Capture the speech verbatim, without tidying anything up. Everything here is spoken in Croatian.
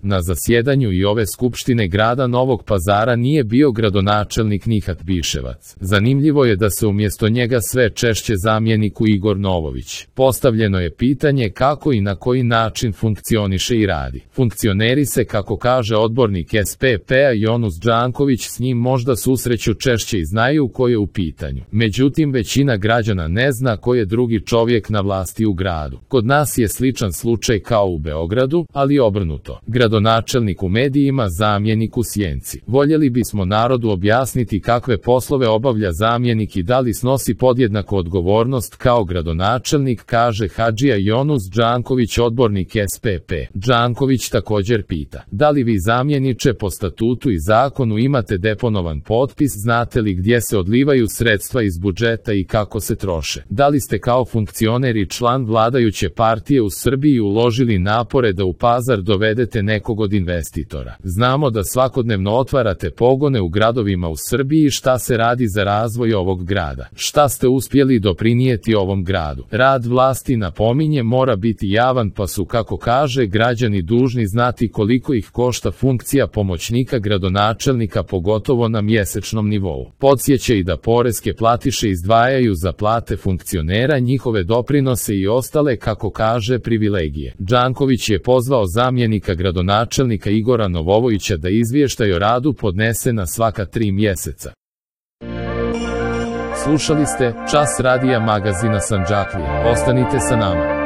Na zasjedanju i ove skupštine grada Novog Pazara nije bio gradonačelnik Nihat Biševac. Zanimljivo je da se umjesto njega sve češće zamjeniku Igor Novović. Postavljeno je pitanje kako i na koji način funkcioniše i radi. Funkcioneri se, kako kaže odbornik S P P-a Jonus Đanković, s njim možda susreću češće i znaju ko je u pitanju. Međutim, većina građana ne zna ko je drugi čovjek na vlasti u gradu. Kod nas je sličan slučaj kao u Beogradu, ali obrnuto. Gradonačelnik u medijima, zamjenik u sjenci. Voljeli bismo narodu objasniti kakve poslove obavlja zamjenik i da li snosi podjednaku odgovornost kao gradonačelnik, kaže Hadžija Jonus Đanković, odbornik S P P. Đanković također pita: da li vi, zamjeniče, po statutu i zakonu imate deponovan potpis, znate li gdje se odlivaju sredstva iz budžeta i kako se troše? Da li ste kao funkcioner i član vladajuće partije u Srbiji uložili napore da u Pazar dovedete nekog od investitora? Znamo da svakodnevno otvarate pogone u gradovima u Srbiji. Šta se radi za razvoj ovog grada? Šta ste uspjeli doprinijeti ovom gradu? Rad vlasti, napominje, mora biti javan, pa su, kako kaže, građani dužni znati koliko ih košta funkcija pomoćnika gradonačelnika, pogotovo na mjesečnom nivou. Podsjeća i da poreske platiše izdvajaju za plate funkcionera, njihove doprinose i ostale, kako kaže, privilegije. Đanković je pozvao zamjenika gradonačelnika Igora Novovića da izvještaj o radu podnese na svaka tri mjeseca. Slušali ste Čas radija magazina Sandžaklija. Ostanite sa nama.